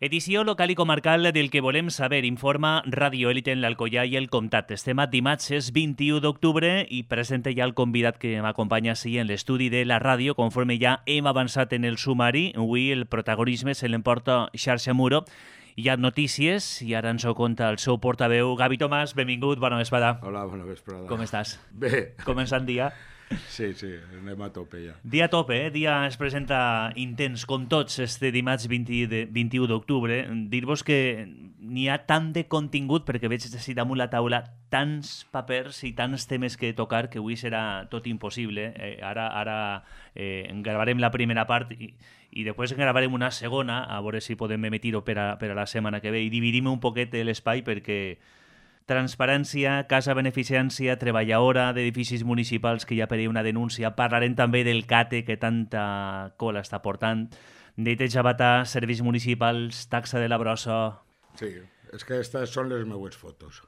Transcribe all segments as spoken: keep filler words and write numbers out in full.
Edició local i comarcal del que volem saber, informa Radio Élite en l'Alcoià i el Comtat. Estem a dimarts, és vint-i-u d'octubre i presenta ja el convidat que m'acompanya així en l'estudi de la ràdio. Conforme ja hem avançat en el sumari, avui el protagonisme se l'emporta Xarxa Muro. Hi ha notícies i ara ens ho conta el seu portaveu. Gavi Tomàs, benvingut, bona vesprada. Hola, bona vesprada. Com estàs? Bé. Començant dia. Sí, sí, anem a tope ja. Dia a tope, eh? Dia es presenta intens, com tots, este dimarts vint-i-u d'octubre. Dir-vos que n'hi ha tant de contingut, perquè veig així damunt la taula tants papers i tants temes que tocar que avui serà tot impossible. Eh, ara ara eh, gravarem la primera part i, i després gravarem una segona, a veure si podem emitir-ho per, a, per a la setmana que ve, i dividim un poquet l'espai perquè transparència, casa beneficència, treballadora d'edificis municipals que ja per una denúncia. Parlarem també del CATE que tanta cola està portant, neteja batà, serveis municipals, taxa de la brossa. Sí, és que aquestes són les meues fotos.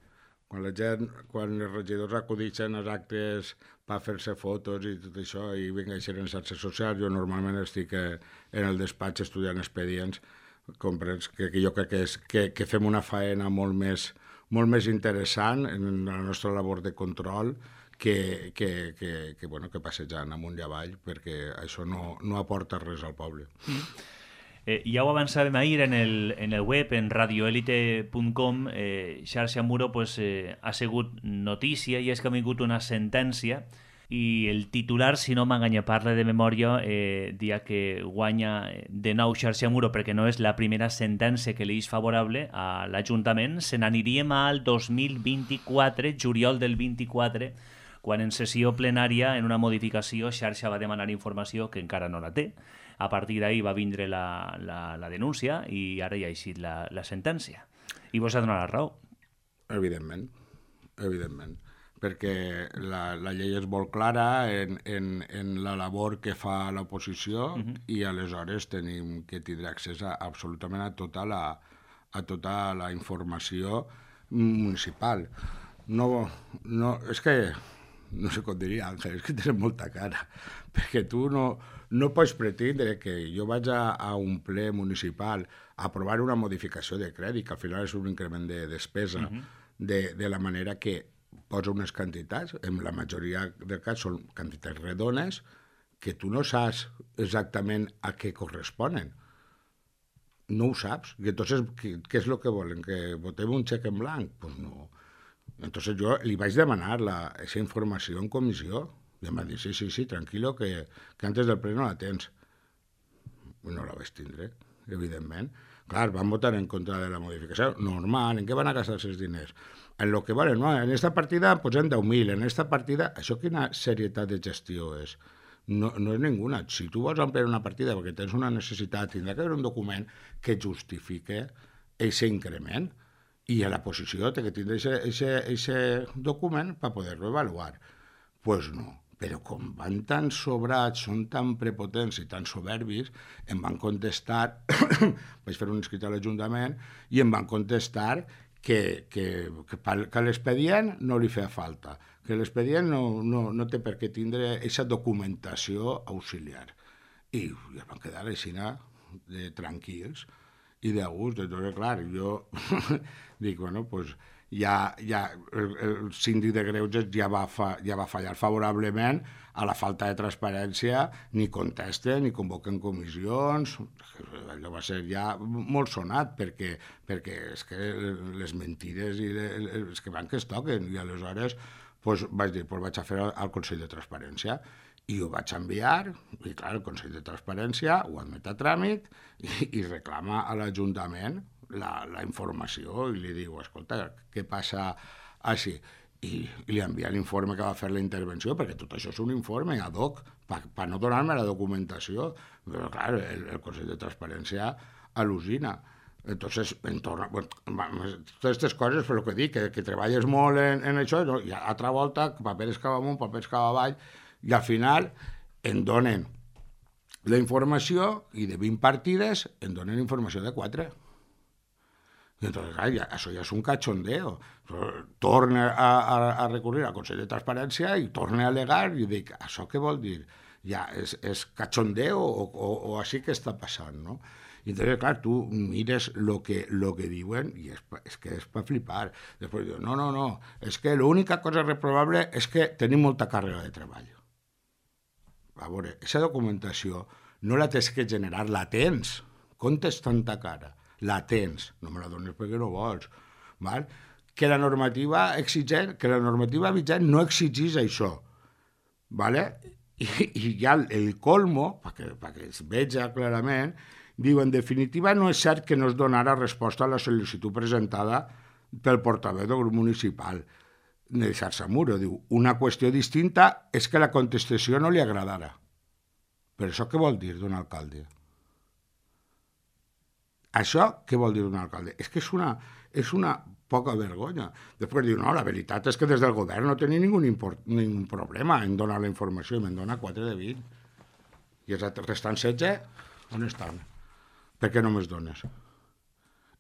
Quan la gent, quan els regidors acudixen als actes per fer-se fotos i tot això i vingueixen en xarxes socials, jo normalment estic en el despatx estudiant expedients, comprens que, que jo crec que, és, que, que fem una faena molt més molt més interessant en la nostra labor de control que, que, que, que, bueno, que passejant amunt i avall, perquè això no, no aporta res al poble. Mm. Eh, ja ho avançàvem ahir en el, en el web, en radio elite punt com, eh, Xarxa Muro pues, eh, ha sigut notícia i és que ha vingut una sentència i el titular, si no m'enganya, parla de memòria, eh, dia que guanya de nou Xarxa Muro perquè no és la primera sentència que li és favorable a l'Ajuntament. Se n'aniríem al dos mil vint-i-quatre, juliol del vint-i-quatre, quan en sessió plenària, en una modificació, Xarxa va demanar informació que encara no la té. A partir d'ahir va vindre la, la, la denúncia i ara ja ha eixit la, la sentència. I vos ha donat la raó. Evidentment, evidentment. perquè la, la llei és molt clara en, en, en la labor que fa l'oposició uh-huh. i aleshores tenim que tindre accés a, absolutament a tota la, a tota la informació municipal. No, no, és que, no sé com diria Àngel, és que tens molta cara, perquè tu no, no pots pretendre que jo vaig a, a un ple municipal a aprovar una modificació de crèdit, que al final és un increment de despesa, uh-huh. de, de la manera que posa unes quantitats, en la majoria del cas són quantitats redones, que tu no saps exactament a què corresponen. No ho saps. I entonces, què, què és el que volen? Que votem un xec en blanc? Pues no. Entonces jo li vaig demanar la, esa informació en comissió. I em va dir, sí, sí, sí, tranquilo, que, que antes del ple no la tens. No la vaig tindre, evidentment. Clar, van votar en contra de la modificació. Normal, en què van a gastar els diners? En lo que valen, no, en esta partida posem deu mil, en esta partida... Això quina serietat de gestió és? No, no és ninguna. Si tu vols ampliar una partida perquè tens una necessitat, tindrà que haver un document que justifique aquest increment i a la posició té que tindre aquest document per poder-lo avaluar. Doncs pues no. Però com van tan sobrats, són tan prepotents i tan soberbis, em van contestar, vaig fer un escrit a l'Ajuntament, i em van contestar que, que, que, que l'expedient no li feia falta, que l'expedient no, no, no té per què tindre aquesta documentació auxiliar. I ja van quedar així de tranquils i de gust. Entonces, clar, jo dic, bueno, doncs... Pues, Ja, ja, el, el síndic de Greuges ja va, fa, ja va fallar favorablement a la falta de transparència, ni contesta, ni convoca en comissions. Allò va ser ja molt sonat, perquè, perquè és que les mentides i les que van que es toquen. I aleshores pues, vaig dir, pues, vaig a fer al Consell de Transparència. I ho vaig enviar, i clar, el Consell de Transparència ho admet a tràmit i, i reclama a l'Ajuntament La, la informació i li diu, escolta, què passa així? I, i li envia l'informe que va fer la intervenció, perquè tot això és un informe ad hoc, per pa no donar-me la documentació. Però, clar, el, el Consell de Transparència al·lucina. Entonces, en torno, bueno, totes aquestes coses, per el que dic, que, que treballes molt en, en això, no? I altra volta, papers cap amunt, papers cap avall, i al final em donen la informació i de vint partides em donen informació de quatre. I entonces, clar, ja, això ja és un cachondeo. Torna a, a, a recurrir al Consell de Transparència i torna a alegar i dic, això què vol dir? Ja, és, és cachondeo o, o, o així que està passant, no? I entonces, clar, tu mires el que, lo que diuen i és, és que és per flipar. Després diuen, no, no, no, és que l'única cosa reprobable és que tenim molta càrrega de treball. A veure, aquesta documentació no la tens que generar, la tens. Comptes tanta cara, la tens. No me la dones perquè no vols. Val? Que la normativa exigent, que la normativa vigent no exigís això. Vale? I, i ja el, el colmo, perquè, perquè es veja clarament, diu, en definitiva, no és cert que no es donarà resposta a la sol·licitud presentada pel portaveu del grup municipal de Xarxa-Muro. Diu, una qüestió distinta és que la contestació no li agradara. Però això què vol dir d'un alcalde? Això què vol dir d'un alcalde? És que és una, és una poca vergonya. Després diu, no, la veritat és que des del govern no tenia ningú ningú problema en donar la informació i me'n dona quatre de vint. I els restants setze, on estan? Per què no me'ls dones?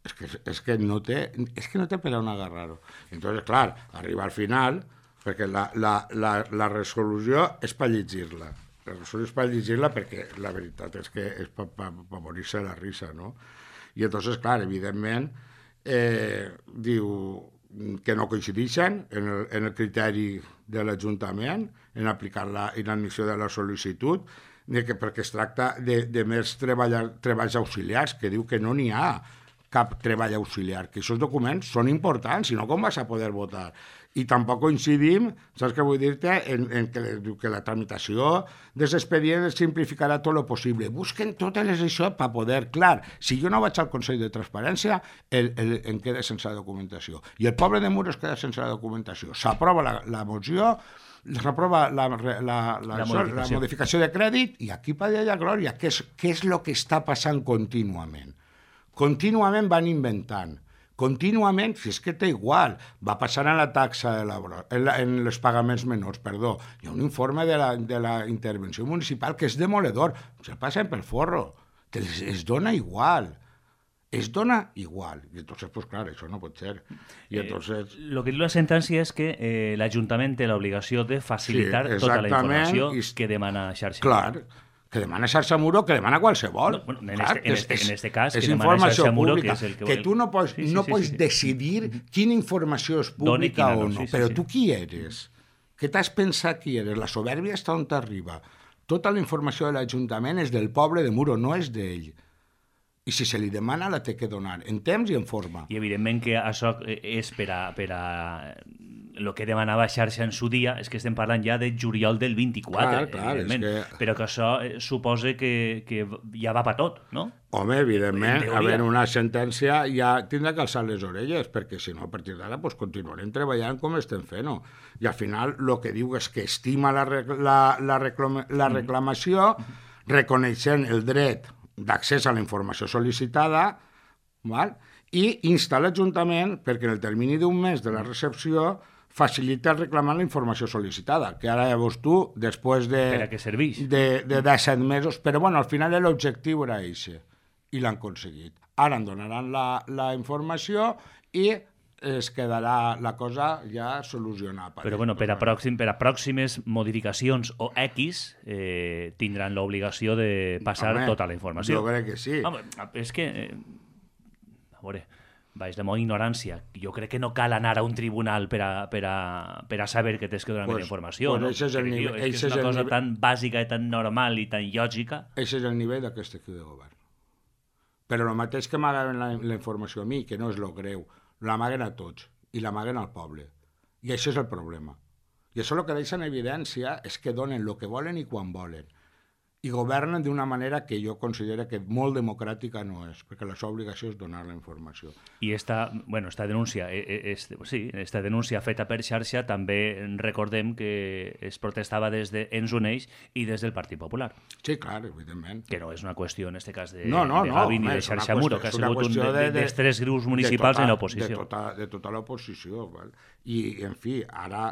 És que, és que no té, és que no té per on agarrar-ho. Entonces, clar, arriba al final, perquè la, la, la, la resolució és per llegir-la. La resolució és per llegir-la perquè la veritat és que és per pa, pa, pa morir-se la risa, no? I entonces, clar, evidentment, eh, diu que no coincideixen en el, en el criteri de l'Ajuntament en aplicar la inadmissió de la sol·licitud, de que, perquè es tracta de, de més treballs auxiliars, que diu que no n'hi ha cap treball auxiliar, que aquests documents són importants, si no com vas a poder votar? I tampoc coincidim, saps què vull dir-te, en, en que, que la tramitació dels expedients simplificarà tot el possible. Busquen totes les això per poder, clar, si jo no vaig al Consell de Transparència, el, el, em queda sense la documentació. I el poble de Muro es queda sense la documentació. S'aprova la, la moció, s'aprova la, la, la, la, la, modificació. la modificació de crèdit i aquí per allà glòria. Què és, què és el que està passant contínuament? Contínuament van inventant. Contínuament, si és que té igual, va passar en la taxa de l'obra, en, la, en els pagaments menors, perdó. Hi ha un informe de la, de la intervenció municipal que és demoledor. Se passen pel forro. Es, es dona igual. Es dona igual. I entonces, pues clar, això no pot ser. I entonces... Eh, lo que diu la sentència és que eh, l'Ajuntament té l'obligació de facilitar sí, tota la informació i... que demana Xarxa. Clar, que demana Xarxa-Muro, que demana qualsevol. No, bueno, en, clar, este, en, este, en este cas, que demana Xarxa-Muro, que és el que... Que tu no pots, sí, sí, no sí, pots sí, sí. decidir quina informació és pública o no. Sí, sí, però sí. Tu qui eres? Què t'has pensat qui eres? La soberbia està on t'arriba. Tota la informació de l'Ajuntament és del poble de Muro, no és d'ell. I si se li demana, la té que donar, en temps i en forma. I evidentment que això és per a... Per a... el que demanava Xarxa en su dia és que estem parlant ja de juliol del vint-i-quatre, clar, clar, evidentment, que... però que això suposa que, que ja va per tot, no? Home, evidentment, havent una sentència ja tindrà que alçar les orelles, perquè si no, a partir d'ara pues, continuarem treballant com estem fent-ho. I al final el que diu és que estima la, la, la, reclama, la reclamació, reconeixent el dret d'accés a la informació sol·licitada, val? I insta l'Ajuntament perquè en el termini d'un mes de la recepció facilita reclamar la informació sol·licitada, que ara llavors tu, després de... Per a què serveix? De, de disset mesos, però bueno, al final l'objectiu era eixe, i l'han aconseguit. Ara en donaran la, la informació i es quedarà la cosa ja solucionada. Però bueno, per a, pròxim, per a pròximes modificacions o X eh, tindran l'obligació de passar Home, tota la informació. Jo crec que sí. Home, és que... Eh, a veure... Vaig de molt ignorància. Jo crec que no cal anar a un tribunal per a, per a, per a saber que tens que donar pues, més informació. Pues no? És, el nivell, és, que és una cosa nivell... tan bàsica i tan normal i tan lògica. Això és el nivell d'aquest equip de govern. Però el mateix que m'amaguen la, la informació a mi, que no és lo greu, l'amaguen a tots i l'amaguen al poble. I això és el problema. I això el que deixa en evidència és que donen el que volen i quan volen. I governen d'una manera que jo considero que molt democràtica no és, perquè la seva obligació és donar la informació. I esta, bueno, esta denúncia, és, sí, esta denúncia feta per Xarxa també recordem que es protestava des d'Ens Uneix i des del Partit Popular. Sí, clar, evidentment. Que no és una qüestió, en aquest cas, de, no, no, de Gavi no, ni de Xarxa-Muro, que ha sigut un de, de, dels tres grups municipals tota, en l'oposició. De tota, de tota l'oposició. Val? I, en fi, ara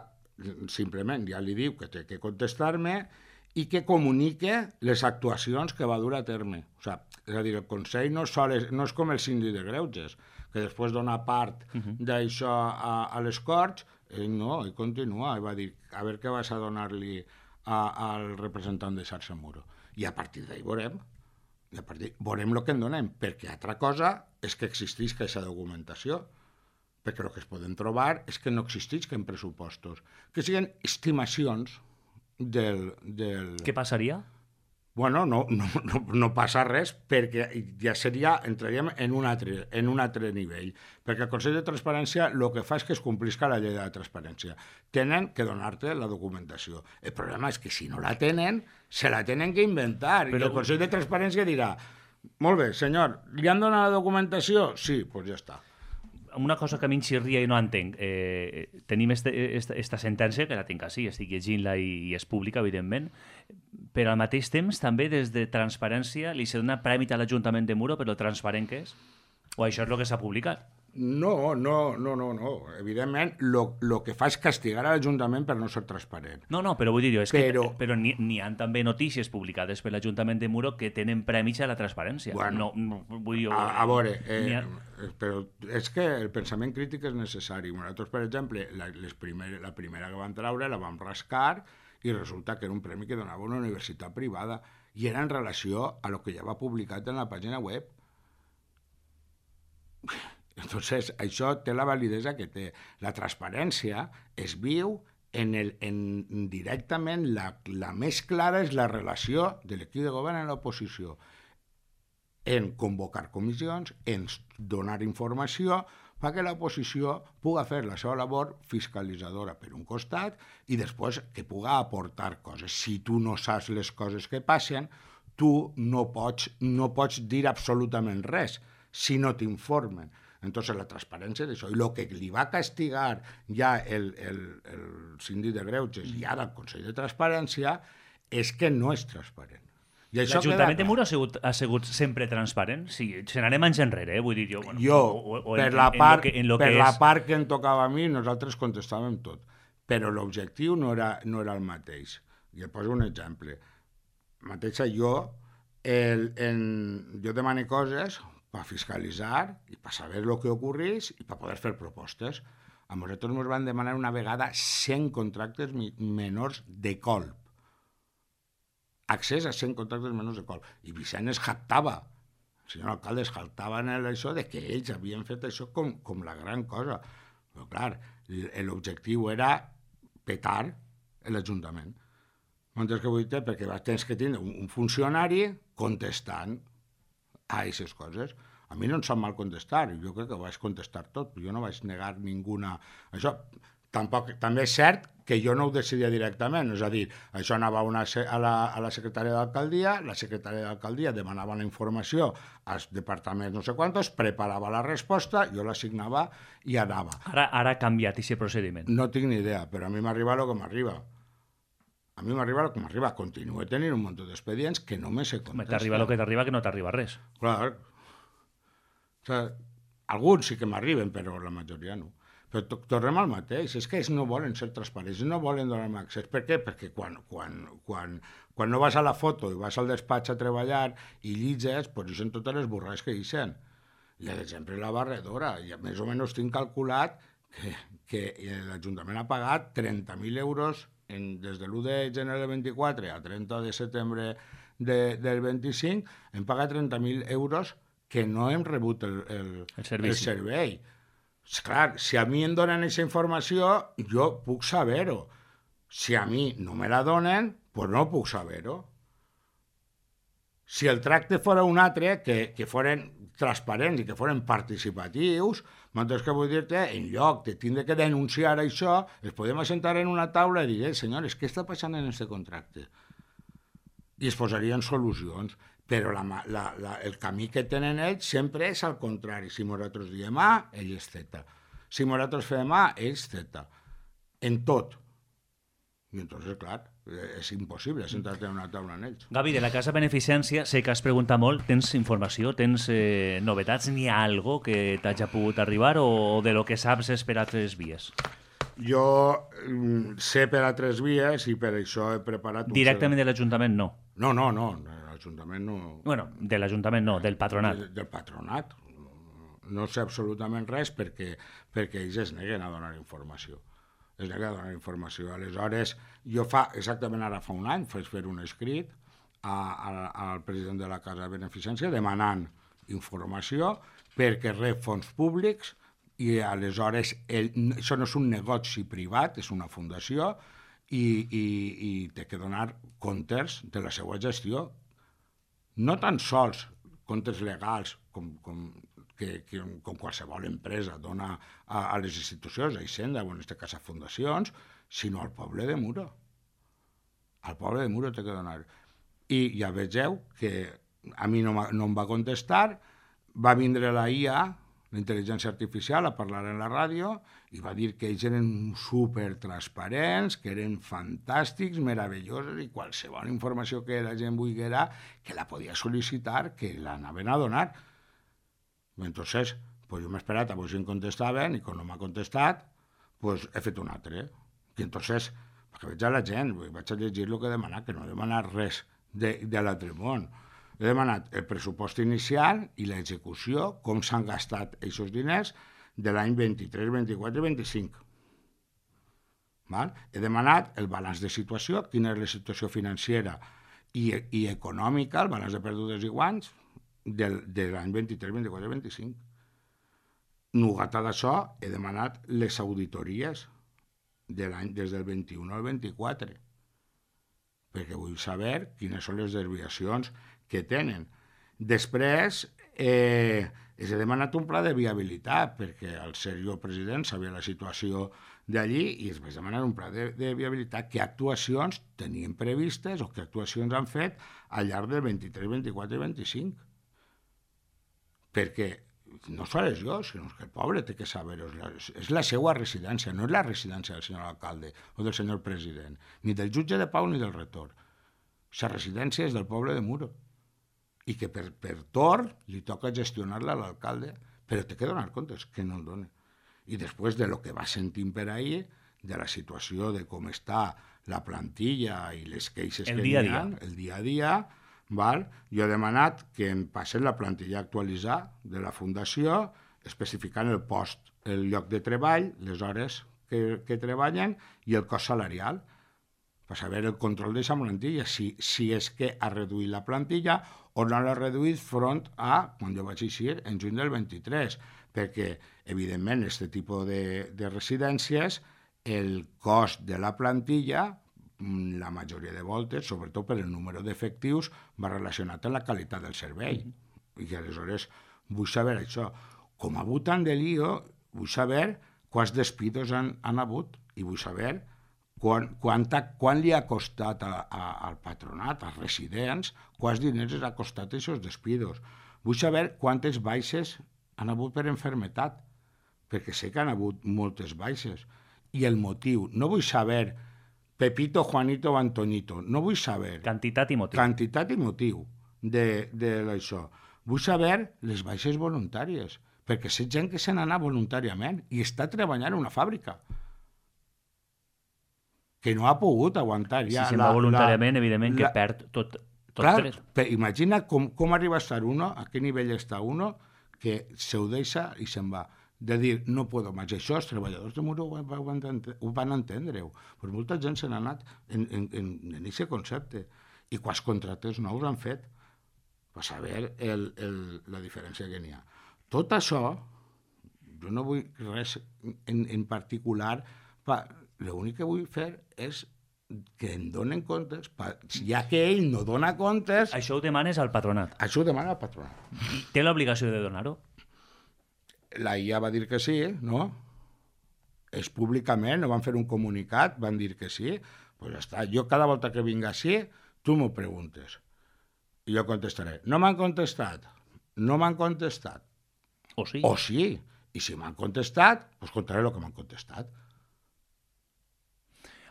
simplement ja li diu que té que contestar-me i que comunique les actuacions que va dur a terme. O sigui, és a dir, el Consell no, sol és, no és com el síndic de Greuges, que després dona part uh -huh. d'això a, a les Corts, ell no, ell continua, ell va dir, a veure què vas a donar-li al representant de Xarxa-Muro. I a partir d'ahir veurem. I a partir veurem el que en donem, perquè altra cosa és que existeix aquesta documentació, perquè el que es poden trobar és que no existeix en pressupostos, que siguin estimacions del... del... Què passaria? Bueno, no, no, no, no passa res, perquè ja seria, entraríem en un, altre, en un altre nivell, perquè el Consell de Transparència el que fa és que es complisca la llei de la transparència. Tenen que donar-te la documentació. El problema és que si no la tenen, se la tenen que inventar, però... i el Consell de Transparència dirà, molt bé, senyor, li han donat la documentació? Sí, doncs pues ja està. Una cosa que a mi em xirria i no entenc. Eh, tenim este, esta, esta sentència, que la tinc així, estic llegint-la i, i és pública, evidentment, però al mateix temps també des de Transparència li se dona prèmit a l'Ajuntament de Muro per lo transparent que és? O això és el que s'ha publicat? No, no, no, no, no. Evidentment, el que fa és castigar a l'Ajuntament per no ser transparent. No, no, però vull dir-ho, és però... que però n'hi ha també notícies publicades per l'Ajuntament de Muro que tenen prèmits a la transparència. Bueno, no, no, vull dir, a, a veure, eh, ha... però és que el pensament crític és necessari. Nosaltres, per exemple, la, les primer, la primera que vam treure la vam rascar i resulta que era un premi que donava una universitat privada i era en relació a lo que ja va publicat en la pàgina web. Entonces, això té la validesa que té. La transparència es viu en el, en, directament, la, la més clara és la relació de l'equip de govern en l'oposició, en convocar comissions, en donar informació, perquè l'oposició pugui fer la seva labor fiscalitzadora per un costat i després que pugui aportar coses. Si tu no saps les coses que passen, tu no pots, no pots dir absolutament res si no t'informen. Entonces la transparència és això. I el que li va castigar ja el, el, el síndic de Greuges i ara el Consell de Transparència és que no és transparent. L'Ajuntament de Muro ha sigut, ha sigut sempre transparent? Sí, se n'anem anys enrere, eh? Vull dir jo... Bueno, jo, o, o per, en, la, part, en lo que, en lo per que la és... part que em tocava a mi, nosaltres contestàvem tot. Però l'objectiu no era, no era el mateix. I et poso un exemple. Mateixa jo, el, en, jo demano coses per fiscalitzar i per saber el que ocorreix i per poder fer propostes. A nosaltres ens van demanar una vegada cent contractes menors de colp. Accés a cent contractes menors de colp. I Vicent es jactava, el senyor alcalde es jactava en això de que ells havien fet això com, com la gran cosa. Però clar, l'objectiu era petar l'Ajuntament. Mentre que vull dir, perquè tens que tenir un funcionari contestant a aquestes coses. A mi no em sap mal contestar, jo crec que vaig contestar tot, jo no vaig negar ninguna... Això tampoc, també és cert que jo no ho decidia directament, és a dir, això anava una, a, la, a la secretària d'alcaldia, la secretària d'alcaldia demanava la informació als departaments no sé quantos, preparava la resposta, jo l'assignava i anava. Ara, ara ha canviat aquest procediment. No tinc ni idea, però a mi m'arriba el que m'arriba. A mi m'arriba el que m'arriba. Continuo tenint un munt d'expedients que no me se contesten. T'arriba el que t'arriba, que no t'arriba res. Clar. O sigui, alguns sí que m'arriben, però la majoria no. Però tornem al mateix. És que ells no volen ser transparents, no volen donar-me accés. Per què? Perquè quan, quan, quan, quan no vas a la foto i vas al despatx a treballar i llitges, doncs hi són totes les burrades que hi són. I, per exemple, la barredora. I més o menys tinc calculat que, que l'Ajuntament ha pagat trenta mil euros en, des de l'u de gener del vint-i-quatre a trenta de setembre de, del vint-i-cinc, hem pagat trenta mil euros que no hem rebut el, el, el servei. El servei. Clar, si a mi em donen aquesta informació, jo puc saber-ho. Si a mi no me la donen, doncs no puc saber-ho. Si el tracte fora un altre, que, que foren transparents i que foren participatius, mentre que vull dir-te, en lloc de tindre que denunciar això, es podem assentar en una taula i dir, senyores, què està passant en aquest contracte? I es posarien solucions. Però la, la, la, el camí que tenen ells sempre és al contrari. Si nosaltres diem A, ell és Z. Si nosaltres fem A, ells Z. En tot. I entonces, clar, és impossible sentar-te en una taula en ells. Gavi, de la Casa Beneficència, sé que has preguntat molt, tens informació, tens eh, novetats, n'hi ha algo que t'hagi pogut arribar o de lo que saps és per altres vies? Jo mm, sé per altres vies i per això he preparat... Directament de l'Ajuntament, no? No, no, no. L'Ajuntament no... Bueno, de l'Ajuntament no, del patronat. De, del patronat. No sé absolutament res perquè, perquè ells es neguen a donar informació. Es neguen a donar informació. Aleshores, jo fa, exactament ara fa un any, faig fer un escrit a, a, al president de la Casa de Beneficència demanant informació perquè rep fons públics i aleshores el, això no és un negoci privat, és una fundació i, i, i té que donar comptes de la seva gestió. No tan sols comptes legals com, com, que, que, com qualsevol empresa dona a, a les institucions, a Hisenda, o en aquest cas a fundacions, sinó al poble de Muro. Al poble de Muro té que donar. I ja vegeu que a mi no, no em va contestar, va vindre la I A, la intel·ligència artificial, a parlar en la ràdio i va dir que ells eren supertransparents, que eren fantàstics, meravellosos i qualsevol informació que la gent volguera que la podia sol·licitar, que l'anaven a donar. Entonces, pues jo m'he esperat a veure si em contestaven i quan no m'ha contestat, pues he fet un altre. I entonces, perquè veig a la gent, vaig a llegir el que he demanat, que no he demanat res de, de l'altre món. He demanat el pressupost inicial i l'execució, com s'han gastat aquests diners de l'any vint-i-tres, vint-i-quatre i vint-i-cinc. Val? He demanat el balanç de situació, quina és la situació financera i, i econòmica, el balanç de perdudes i guanys, del, de l'any vint-i-tres, vint-i-quatre i vint-i-cinc. Nugata d'això, he demanat les auditories de l'any des del vint-i-un al vint-i-quatre, perquè vull saber quines són les desviacions que tenen. Després, eh, he demanat un pla de viabilitat, perquè al ser jo president sabia la situació d'allí i es vaig demanar un pla de, de viabilitat, que actuacions tenien previstes o que actuacions han fet al llarg del vint-i-tres, vint-i-quatre i vint-i-cinc. Perquè no sols jo, sinó que el poble té que saber-ho. És la seva residència, no és la residència del senyor alcalde o del senyor president, ni del jutge de pau ni del rector. La residència és del poble de Muro i que per, per torn li toca gestionar-la a l'alcalde, però té que donar comptes, que no el dona. I després de lo que va sentint per ahir, de la situació de com està la plantilla i les queixes el que dia n'hi ha, el dia a dia, val? Jo he demanat que em passen la plantilla a actualitzar de la fundació, especificant el post, el lloc de treball, les hores que, que treballen i el cost salarial, per saber el control d'aquesta plantilla, si, si és que ha reduït la plantilla o no l'ha reduït front a, quan jo vaig eixir, en juny del vint-i-tres, perquè, evidentment, aquest tipus de, de residències, el cost de la plantilla, la majoria de voltes, sobretot per el número d'efectius, va relacionat amb la qualitat del servei. Mm-hmm. I aleshores vull saber això. Com ha hagut tant de lío, vull saber quants despidos han, han hagut i vull saber Quan, quanta, quan li ha costat a, a, al patronat, als residents, quants diners els ha costat aquests despidos. Vull saber quantes baixes han hagut per enfermetat, perquè sé que han hagut moltes baixes. I el motiu, no vull saber Pepito, Juanito o Antonito, no vull saber... Quantitat i motiu. Quantitat i motiu de, de això. Vull saber les baixes voluntàries, perquè sé gent que se n'anà voluntàriament i està treballant en una fàbrica, que no ha pogut aguantar ja. Si se'n va voluntàriament, la, evidentment que la, perd tot, tot clar, tres. Per, imagina com, com arriba a estar uno, a qué nivell està uno, que se ho deixa i se'n va. De dir, no puedo més. Això els treballadors de Muro ho van, ho van entendre-ho. Però molta gent se n'ha anat en aquest en, en, en concepte. I quants contractes nous han fet per saber el, el, la diferència que n'hi ha. Tot això, jo no vull res en, en particular... Pa, l'únic que vull fer és que em donen comptes, ja que ell no dona comptes... Això ho demanes al patronat? Això ho demana al patronat. Té l'obligació de donar-ho? La I A va dir que sí, no? És públicament, no van fer un comunicat, van dir que sí. Doncs pues ja està. Jo cada volta que vinc així, tu m'ho preguntes. I jo contestaré. No m'han contestat. No m'han contestat. O sí. O sí. I si m'han contestat, doncs contaré el que m'han contestat.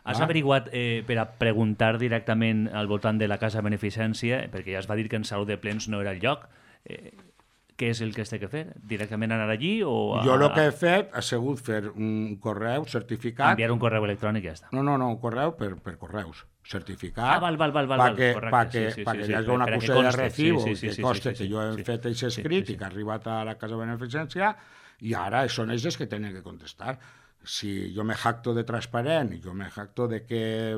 Has ah. averiguat eh, per a preguntar directament al voltant de la Casa Beneficència, perquè ja es va dir que en salut de plens no era el lloc, eh, què és el que es té que fer? Directament anar allí o... A... Jo el que he fet ha sigut fer un correu certificat... Enviar un correu electrònic i ja està. No, no, no, un correu per, per correus. Certificat... Ah, val, val, val, val, perquè, correcte. Perquè, sí, sí, perquè sí, hi hagi sí, una per cosa de recibo sí, sí, sí, que conste sí, sí, que jo he sí, fet aquest escrit sí, sí, sí. i que ha arribat a la Casa Beneficència i ara són ells que tenen que contestar. si jo me jacto de transparent, jo me jacto de que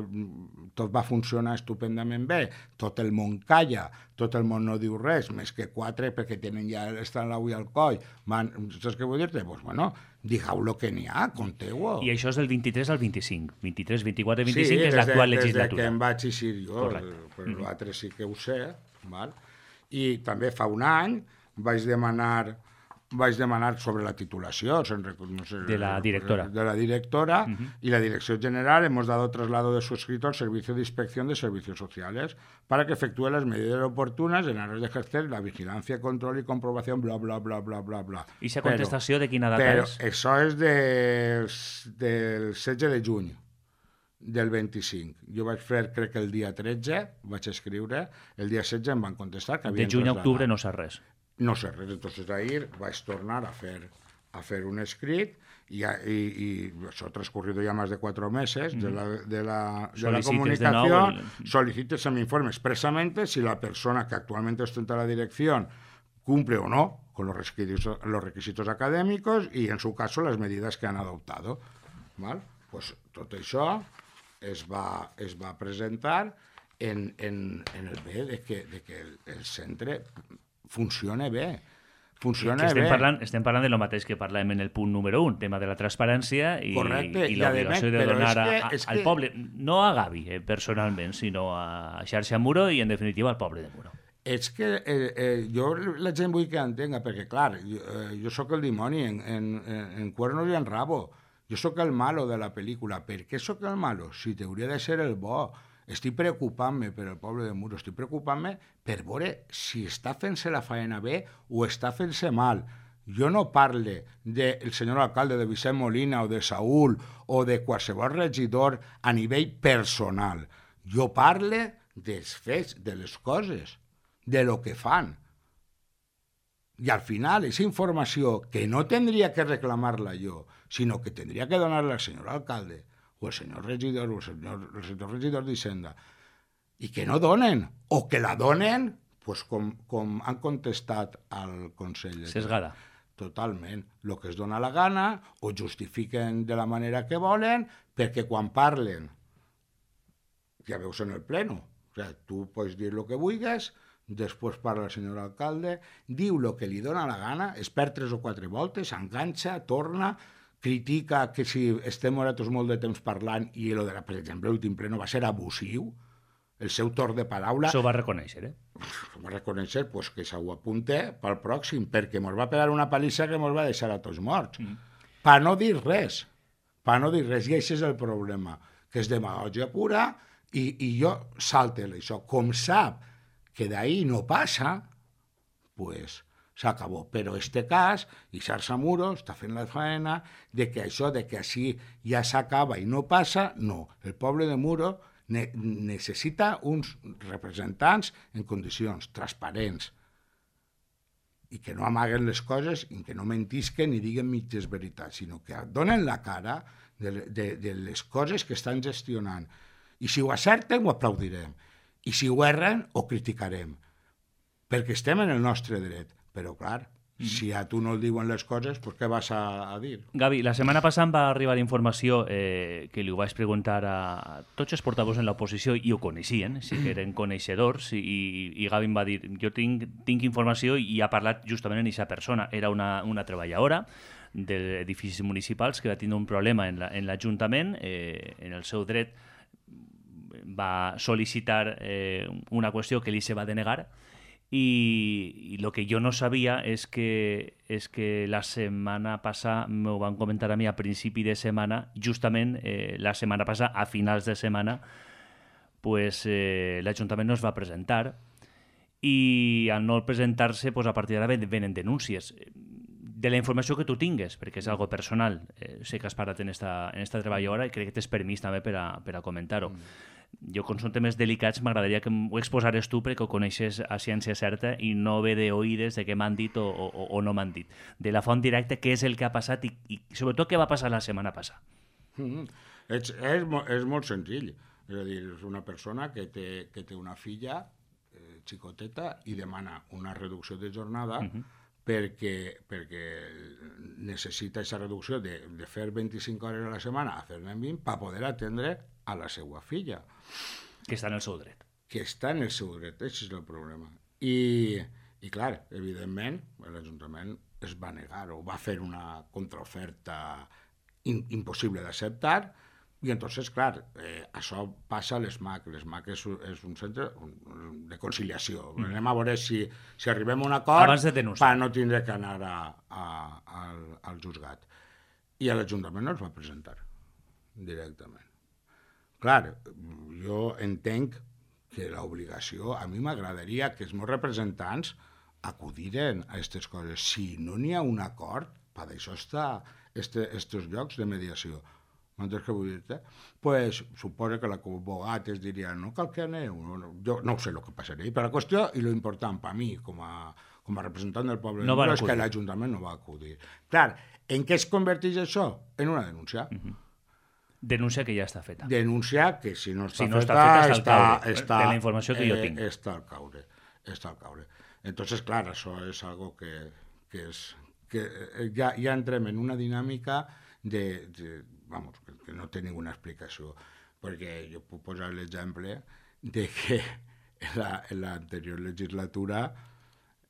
tot va funcionar estupendament bé, tot el món calla, tot el món no diu res, més que quatre perquè tenen ja estan l'ull al coll, man, saps què vull dir-te? Doncs, bueno, digueu lo que n'hi ha, conteu-ho. I això és del vint-i-tres al vint-i-cinc. vint-i-tres, vint-i-quatre, vint-i-cinc sí, és l'actual legislatura. Sí, des que em vaig eixir jo, però mm. l'altre sí que ho sé, val? I també fa un any vaig demanar vaig demanar sobre la titulació no sé, de la directora, de la directora uh-huh. y la Dirección General hemos dado traslado de su escrito al Servicio de Inspección de Servicios Sociales para que efectúe las medidas oportunas en aras de ejercer la vigilancia, control y comprobación, bla, bla, bla, bla, bla, bla. I aquesta contestació de quina data però és? Però això és de, del setze de juny del vint-i-cinc. Jo vaig fer, crec que el dia tretze, vaig escriure, el dia setze em van contestar que havien de juny a octubre no sap res. No sé res, entonces ahir vaig tornar a fer, a fer un escrit y, y, y eso ha transcurrido ya más de cuatro meses de la, de la, de la comunicación. De el... Solicite se me informe expresamente si la persona que actualmente ostenta la dirección cumple o no con los requisitos, los requisitos académicos y en su caso las medidas que han adoptado. ¿Val? Pues tot això es va, es va presentar en, en, en el bé de que, de que el, el centre funciona bé. Funciona estem bé. Parlant, estem parlant de lo mateix que parlem en el punt número un, tema de la transparència i, Correcte, i l'obligació de donar que, a, a, al que... poble, no a Gavi eh, personalment, sinó a Xarxa Muro i en definitiva al poble de Muro. És que eh, eh, jo la gent vull que entenga, perquè clar, jo, eh, jo sóc el dimoni en, en, en cuernos i en rabo. Jo sóc el malo de la pel·lícula. Per què sóc el malo? Si t'hauria de ser el bo. Estic preocupant-me per el poble de Muro, estic preocupant-me per veure si està fent-se la faena bé o està fent-se mal. Jo no parle del senyor alcalde de Vicent Molina o de Saúl o de qualsevol regidor a nivell personal. Jo parle dels fets, de les coses, de lo que fan. I al final, aquesta informació que no tindria que reclamar-la jo, sinó que tindria que donar-la al senyor alcalde, o el senyor regidor, o el senyor, el senyor regidor d'Hisenda, i que no donen, o que la donen, pues com, com han contestat al Consell. Sesgada. Totalment. El que es dona la gana, o justifiquen de la manera que volen, perquè quan parlen, ja veus en el pleno, o sigui, tu pots dir el que vulguis, després parla el senyor alcalde, diu el que li dona la gana, es perd tres o quatre voltes, enganxa, torna, critica que si estem nosaltres molt de temps parlant i el de la, per exemple, l'últim ple no va ser abusiu, el seu torn de paraula... Això ho va reconèixer, eh? Ho va reconèixer, pues, que s'ho apunte pel pròxim, perquè ens va pegar una palissa que ens va deixar a tots morts. Mm. Per no dir res, per no dir res, i això és el problema, que és demagògia pura, i, i jo salte-li això. Com sap que d'ahir no passa, pues... s'acabó. Però este cas, i Xarxa Muro està fent la faena de que això, de que així ja s'acaba i no passa, no. El poble de Muro ne necessita uns representants en condicions transparents i que no amaguen les coses i que no mentisquen ni diguen mitges veritats, sinó que donen la cara de, de, de les coses que estan gestionant. I si ho acerten, ho aplaudirem. I si ho erren, ho criticarem. Perquè estem en el nostre dret. Però, clar, mm. si a tu no el diuen les coses, pues què vas a, a dir? Gavi, la setmana passada em va arribar informació eh, que li ho vaig preguntar a tots els portavols en l'oposició i ho coneixien, sí que eren coneixedors, i, i Gavi em va dir, jo tinc, tinc informació i ha parlat justament en aquesta persona. Era una, una treballadora d'edificis municipals que va tenir un problema en l'Ajuntament, la, eh, en el seu dret va sol·licitar eh, una qüestió que li se va denegar. Y, y lo que yo no sabía es que, es que la semana pasada, me van a comentar a mí a principi de semana, justament eh, la setmana passada, a finals de setmana, pues, eh, l'Ajuntament no es va presentar i al no presentar-se, pues, a partir d'ara venen denúncies. De la informació que tu tingues, perquè és algo personal, eh, sé que has parlat en esta, en esta treballadora i crec que tens permís també per a, per a comentar-ho. Mm. Jo, com són temes delicats, m'agradaria que ho exposares tu perquè ho coneixes a ciència certa i no ve d'oïdes de què m'han dit o, o, o no m'han dit. De la font directa, què és el que ha passat i, i sobretot què va passar la setmana passada. Mm. És, és, és molt senzill. És a dir, és una persona que té, que té una filla eh, xicoteta i demana una reducció de jornada uh-huh. perquè, perquè necessita aquesta reducció de, de fer vint-i-cinc hores a la setmana a fer-ne vint per poder atendre a la seva filla. Que està en el seu dret. Que està en el seu dret, aquest és el problema. I, i clar, evidentment, l'Ajuntament es va negar o va fer una contraoferta in, impossible d'acceptar. I entonces, clar, eh, això passa a l'ESMAC. L'ESMAC és, és un centre de conciliació. Mm. Anem a veure si, si arribem a un acord per no tindre que anar a, a, al, al juzgat. I a l'Ajuntament no es va presentar directament. Clar, jo entenc que l'obligació, a mi m'agradaria que els meus representants acudiren a aquestes coses. Si no n'hi ha un acord, per això està aquests llocs de mediació. M'entens què vull dir-te? Pues, suposa que l'advocat es diria no cal que aneu, no, no, jo no sé el que passaria, però la qüestió i lo important per mi com a, com a representant del poble no és que l'Ajuntament no va acudir. Clar, en què es converteix això? En una denúncia. Uh-huh. Denúncia que ja està feta. Denúncia que si no està si no feta, està feta està, està, està, de la informació que eh, jo tinc. Està al caure. Està al caure. Entonces, clar, això és algo que, que, és, que ja, ja entrem en una dinàmica de, de vamos, que, que no té ninguna explicació, perquè jo puc posar l'exemple de que en l'anterior legislatura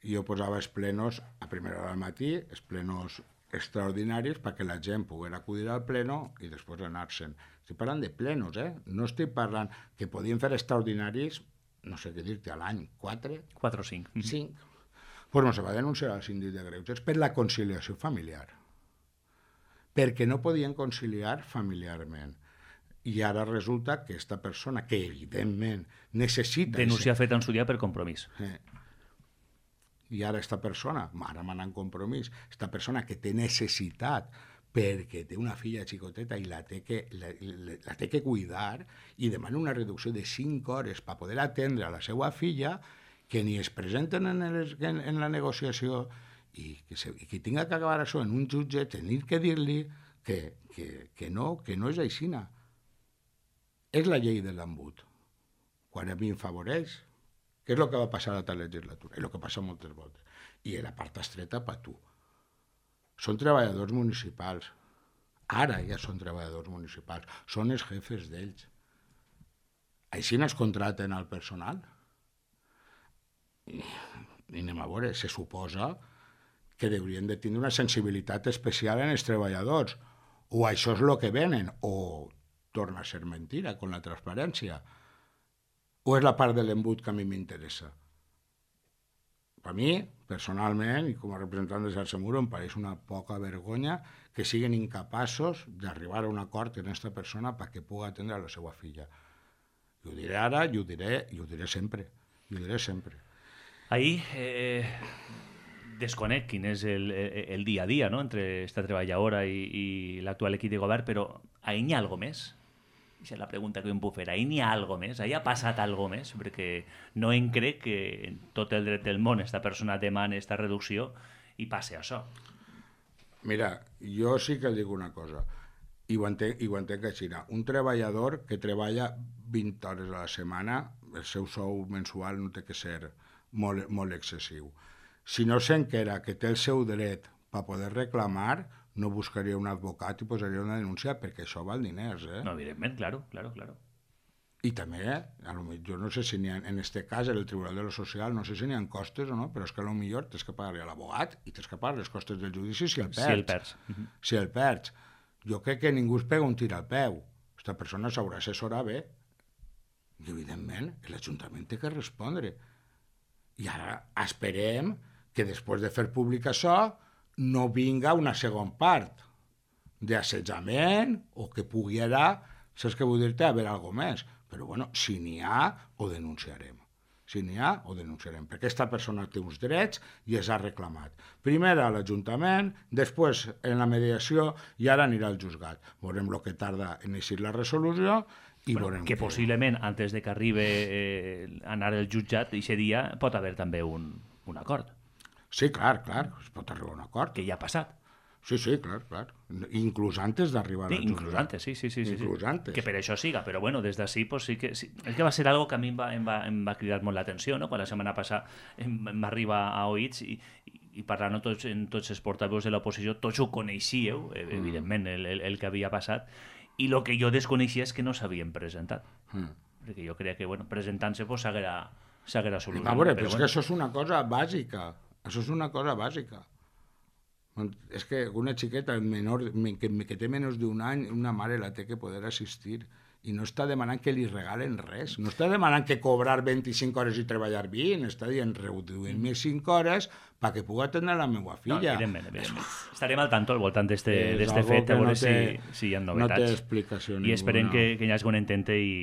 jo posava els plenos a primera hora del matí, els plenos extraordinaris perquè la gent pogués acudir al pleno i després anar-se'n. Estic parlant de plenos, eh? No estic parlant que podien fer extraordinaris, no sé què dir-te, a l'any, quatre? Quatre o cinc. Cinc. Pues no se va denunciar al síndic de Greuges per la conciliació familiar. Perquè no podien conciliar familiarment. I ara resulta que aquesta persona, que evidentment necessita... Denúncia feta en su dia per compromís. Eh, I ara aquesta persona, ara m'anà en compromís, aquesta persona que té necessitat perquè té una filla xicoteta i la té que, la, la, la té que cuidar i demana una reducció de cinc hores per poder atendre a la seva filla, que ni es presenten en, el, en, en la negociació i que, se, i que tinga que acabar això en un jutge, tenir que dir-li que, que, que, no, que no és aixina. És la llei de l'embut. Quan a mi em favoreix, què és el que va passar a la legislatura? És el que passa moltes voltes. I la part estreta per tu. Són treballadors municipals. Ara ja són treballadors municipals. Són els jefes d'ells. Així no es contraten al personal. I, i anem a veure, se suposa que haurien de tenir una sensibilitat especial en els treballadors. O això és el que venen, o torna a ser mentira, con la transparència. O és la part de l'embut que a mi m'interessa. Per mi, personalment, i com a representant de Xarxa Muro, em pareix una poca vergonya que siguin incapaços d'arribar a un acord en aquesta persona perquè pugui atendre a la seva filla. I ho diré ara, i ho diré, i ho diré sempre. I ho diré sempre. Ahí eh, desconec quin és el, el dia a dia, no?, entre esta treballadora i, i l'actual equip de govern, però ahí n'hi ha algo més? Aquesta és la pregunta que em puc fer. Ahí n'hi ha algo més? Ahí ha passat algo més? Perquè no em crec que en tot el dret del món esta persona demana esta reducció i passe això. Mira, jo sí que dic una cosa, i ho entenc, i ho entenc així. Un treballador que treballa vint hores a la setmana, el seu sou mensual no té que ser molt, molt excessiu. Si no s'enquera que té el seu dret per poder reclamar, no buscaria un advocat i posaria una denúncia perquè això val diners, eh? No, evidentment, claro, claro, claro. I també, a lo millor, jo no sé si n'hi ha, en este cas, en el Tribunal de lo Social, no sé si n'hi ha costes o no, però és que a lo millor tens que pagar a l'abogat i tens que pagar les costes del judici si el perds. Si el perds. Uh-huh. Si el perds. Jo crec que ningú es pega un tir al peu. Aquesta persona s'haurà assessorat bé. I, evidentment, l'Ajuntament té que respondre. I ara esperem que després de fer públic això no vinga una segona part d'assetjament o que pugui anar, saps què vull dir-te, haver alguna més. Però, bueno, si n'hi ha, ho denunciarem. Si n'hi ha, ho denunciarem. Perquè aquesta persona té uns drets i els ha reclamat. Primer a l'Ajuntament, després en la mediació i ara anirà al juzgat. Veurem el que tarda en eixir la resolució i bueno, veurem que, que possiblement, antes de que arribi eh, anar al jutjat, aquest dia pot haver també un, un acord. Sí, clar, clar, es pot arribar a un acord. Que ja ha passat. Sí, sí, clar, clar. Inclús antes d'arribar sí, al jutjat. Inclús antes, sí, sí, sí. Inclús sí. antes. Que per això siga, però bueno, des d'ací pues, sí que... Sí. És que va ser algo que a mi em va, em va, em va cridar molt l'atenció, no? Quan la setmana passada em, em va arribar a oïts i, i i parlant amb tots, en tots els portaveus de l'oposició, tots ho coneixíeu, evidentment, el, el, el que havia passat, i el que jo desconeixia és que no s'havien presentat. Mm. Perquè jo creia que, bueno, presentant-se pues, s'haguera solucionat. A veure, però, però és bueno. que això és una cosa bàsica. Això és una cosa bàsica. És que una xiqueta menor, que, que té menys d'un any, una mare la té que poder assistir. I no està demanant que li regalen res. No està demanant que cobrar vint-i-cinc hores i treballar vint. Està dient, reduïm-me cinc hores perquè pugui atendre la meva filla. No, evidentment, evidentment. Estarem al tanto al voltant d'este fet, a veure no té, si, si hi ha novetats. No té explicació I esperem que, que hi hagi un entente i,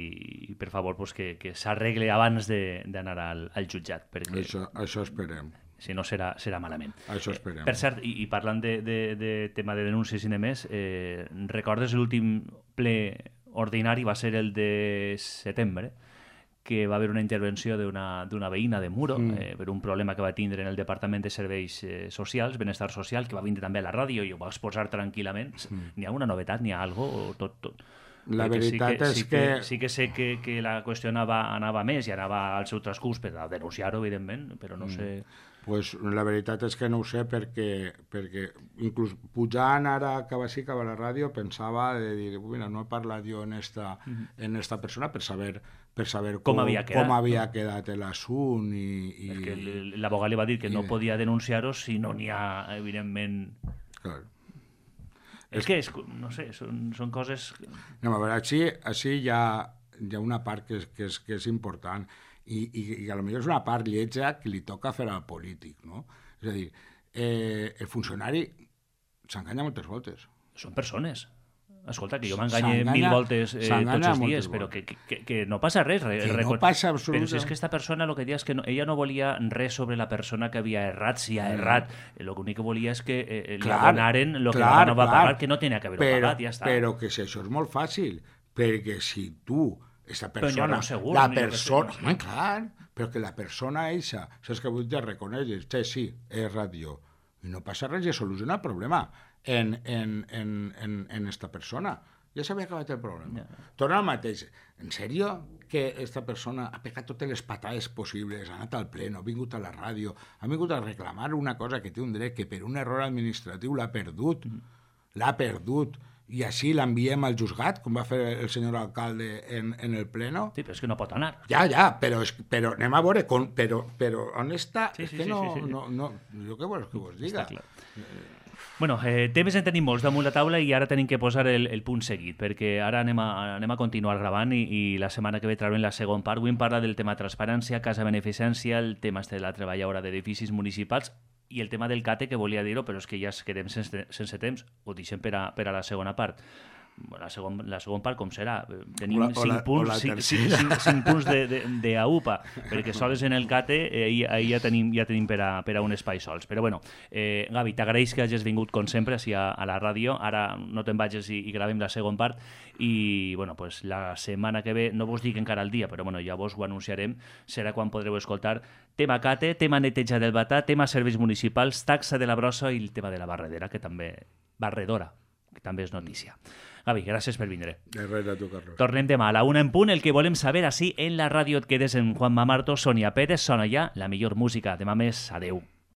i per favor, pues, que, que s'arregle abans d'anar al, al jutjat. Perquè... Això, això esperem. Si no, serà, serà malament. Això esperem. Per cert, i, i parlant de, de, de tema de denúncies i demés, eh, recordes l'últim ple ordinari va ser el de setembre, que va haver una intervenció d'una veïna de Muro mm. eh, per un problema que va tindre en el Departament de Serveis eh, Socials, Benestar Social, que va vindre també a la ràdio i ho va exposar tranquil·lament. Mm. N'hi ha una novetat, n'hi ha algo o tot, tot? La Perquè veritat sí que, és sí que... que... Sí que sé que, que la qüestió anava, anava més i anava al seu transcurs per a denunciar-ho, evidentment, però no mm. sé... Pues la veritat és que no ho sé perquè, perquè inclús pujant ara cap així, cap a la ràdio, pensava de dir, mira, no he parlat jo en esta, mm-hmm. en esta persona per saber, per saber com, com havia quedat, com havia no? quedat l'assunt. I, i... Perquè l'abogat li va dir que no podia denunciar-ho si no n'hi ha, evidentment... Clar. És, és que, és, no sé, són, són coses... No, a veure, així, així hi, ha, hi ha una part que és, que és, que és important. I, i, i a lo millor és una part lletja que li toca fer al polític, no? És a dir, eh, el funcionari s'enganya moltes voltes. Són persones. Escolta, que jo m'enganye mil voltes eh, tots els dies, però que, que, que no passa res. Que no passa absolutament. Però si és que esta persona, el que dia és que no, ella no volia res sobre la persona que havia errat, si ha errat. L'únic que volia és que eh, li abonaren el que no va pagar, que no tenia que haver-ho pagat, ja està. Però que si això és molt fàcil, perquè si tu... Esta persona, no segur, la persona, home, clar, però que la persona eixa, saps que avui ja reconeixes, sí, sí, és ràdio, i no passa res, ja soluciona el problema en, en, en, en, en esta persona. Ja s'havia acabat el problema. Yeah. Torna al mateix. En sèrio que esta persona ha pegat totes les patades possibles, ha anat al pleno, ha vingut a la ràdio, ha vingut a reclamar una cosa que té un dret que per un error administratiu l'ha perdut, mm. l'ha perdut, i així l'enviem al juzgat, com va fer el senyor alcalde en, en el pleno. Sí, però és que no pot anar. Ja, ja, però, és, però anem a veure, con, però, però on està? Sí, sí, és que sí, no, sí, sí. no, no, jo què vols que vos diga? Està clar. Bueno, eh, temes en tenim molts damunt la taula i ara tenim que posar el, el punt seguit, perquè ara anem a, anem a continuar gravant i, i la setmana que ve traurem la segona part. Avui em parla del tema transparència, casa beneficència, el tema de la treballadora d'edificis municipals i el tema del CATE, que volia dir-ho, però és que ja es quedem sense, sense temps, ho deixem per a, per a la segona part. La segona, la segona part com serà? Tenim la, cinc, la, punts, cinc, cinc, cinc, cinc punts de, de, de A U P A, perquè sols en el CATE eh, ahir, ahir ja tenim, ja tenim per, a, per a un espai sols. Però bueno, eh, Gavi, t'agraeix que hagis vingut com sempre així a, a la ràdio, ara no te'n vagis i, i gravem la segona part i bueno, pues, la setmana que ve, no vos dic encara el dia, però bueno, ja vos ho anunciarem, serà quan podreu escoltar tema CATE, tema neteja del batà, tema serveis municipals, taxa de la brossa i el tema de la barredera, que també barredora, que també és notícia. Gavi, gràcies per vindre. De res a tu, Carlos. Tornem demà a la una en punt. El que volem saber així en la ràdio et quedes en Juanma Marto, Sonia Pérez, sona ja la millor música. Demà més, adeu.